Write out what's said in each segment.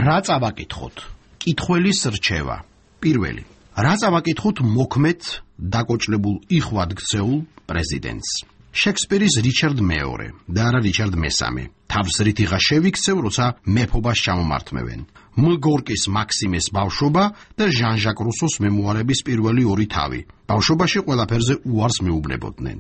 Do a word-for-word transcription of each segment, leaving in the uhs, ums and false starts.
რა წავაკითხოთ? კითხველის რჩევა. პირველი. რა წავაკითხოთ მოქმედ დაკოჭლებულ იხვად ქცეულ პრეზიდენტს? შექსპირის რიჩარდ მეორე და არა რიჩარდ მესამე. თავს რითიღა შევიქცევ, როცა მეფობას ჩამომართმევენ. მ. გორკის მაქსიმეს ბავშვობა და ჟან ჟაკ რუსოს მემუარების პირველი ორი თავი. ბავშვობაში ყველაფერზე უარს მეუბნებოდნენ.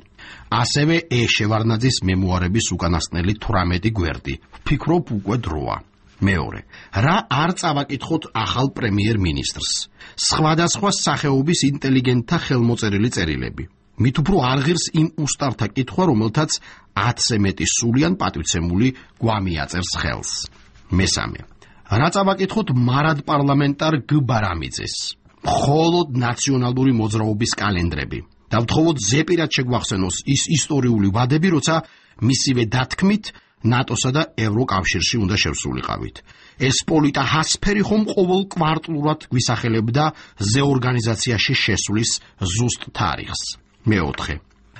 ასევე ე. შევარდნაძის მემუარების უკანასკნელი თვრამეტი გვერდი. ვფიქრობ უკვე დროა. მეორე. რა არ წავაკითხოთ ახალ პრემიერ-მინისტრს? სხვადასხვა სახეობის ინტელიგენტთა ხელმოწერილი წერილები. მით უფრო არ ღირს იმ უსტართა კითხვა, რომელთაც ათზე მეტი სულიან პატივცემული გვამი აწერს ხელს. მესამე. რა წავაკითხოთ მარად პარლამენტარ გ. ბარამიძეს? მხოლოდ ნაციონალური მოძრაობის კალენდრები. დავთხოვოთ ზეპირად შეგვახსენოს ის ისტორიული ვადები, როცა მისივე დათქმით ნატოსა და ევროკავშირში უნდა შევსულიყავით. ეს პოლიტა ჰასფერი ხომ ყოველ კვარტლურად გვისახელებდა ზე ორგანიზაციაში შესვლის ზუსტ თარიღს. მეოთხე.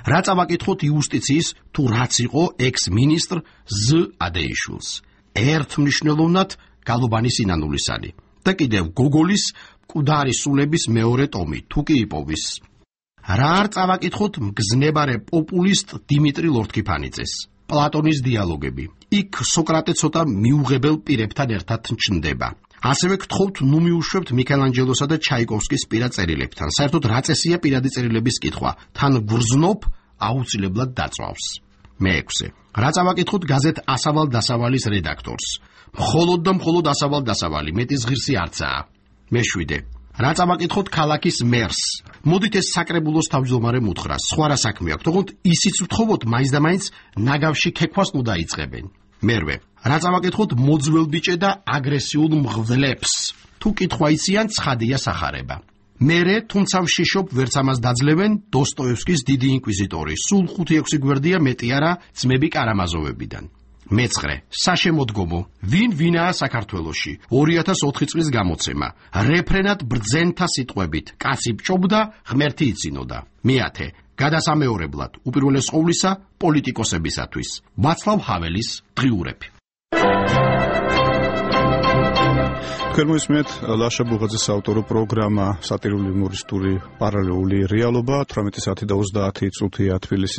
რა წავაკითხოთ იუსტიციის თუ რაც იყო ექს-მინისტრ ზ. ადეიშვილს? ერთმნიშვნელოვნად გალუბანის ინანულისანი და კიდევ გოგოლის მკვდარი სულების მეორე ტომი თუ კი იპოვის. რა არ წავაკითხოთ მგზნებარე პოპულისტ დიმიტრი ლორთქიფანიძეს? პლატონის დიალოგები. იქ სოკრატე ცოტა მიუღებელ პირებთან ერთად ჩნდება. ასევე გთხოვთ ნუ მიუშვებთ მიქელანჯელოსა და ჩაიკოვსკის პირად წერილებთან. საერთოდ რა წესია პირადი წერილების კითხვა? თან გვრძნობ აუცილებლად დაწვავს. მეექვსე. რა წავაკითხოთ გაზეთ ასავალ დასავალის რედაქტორს? მხოლოდ და მხოლოდ ასავალ დასავალი, მეტის ღირსი არცაა. მეშვიდე. რა წავაკითხოთ ქალაქის მერს? მოდით ეს საკრებულოს თავმჯდომარე მუთხრა, სხვა რა საქმე აქვს, თქო ისიც ვთხოვოთ მაინც და მაინც ნაგავში ქექვას ნუ დაიწყებენ. მერვე. რა წავაკითხოთ მოძველბიჭე და აგრესიულ მღვდლებს? თუ კითხვა იციან, ცხადია სახარება. მერე, თუმცა ვშიშობ, ვერც ამას დაძლევენ დოსტოევსკის დიდი ინკვიზიტორი. სულ ხუთი ექვსი გვერდია მეტი არა ძმები კარამაზოვებიდან. მეცხრე. საშემოდგომო. ვინ ვინაა საქართველოში? ორი ათას ოთხი წლის გამოცემა. რეფრენად ბრძენთა სიტყვებით. კაცი ბჭობდა, ღმერთი იცინოდა. მეათე. გადასამეორებლად, უპირველეს ყოვლისა, პოლიტიკოსებისათვის. ვაცლავ ჰაველის დღიურები. თქვენ მოისმენთ ლაშა ბუღაძის ავტორო პროგრამა სატირული იუმორისტული პარალელური რეალობა თვრამეტი საათი და ოცდაათი წუთია თბილისის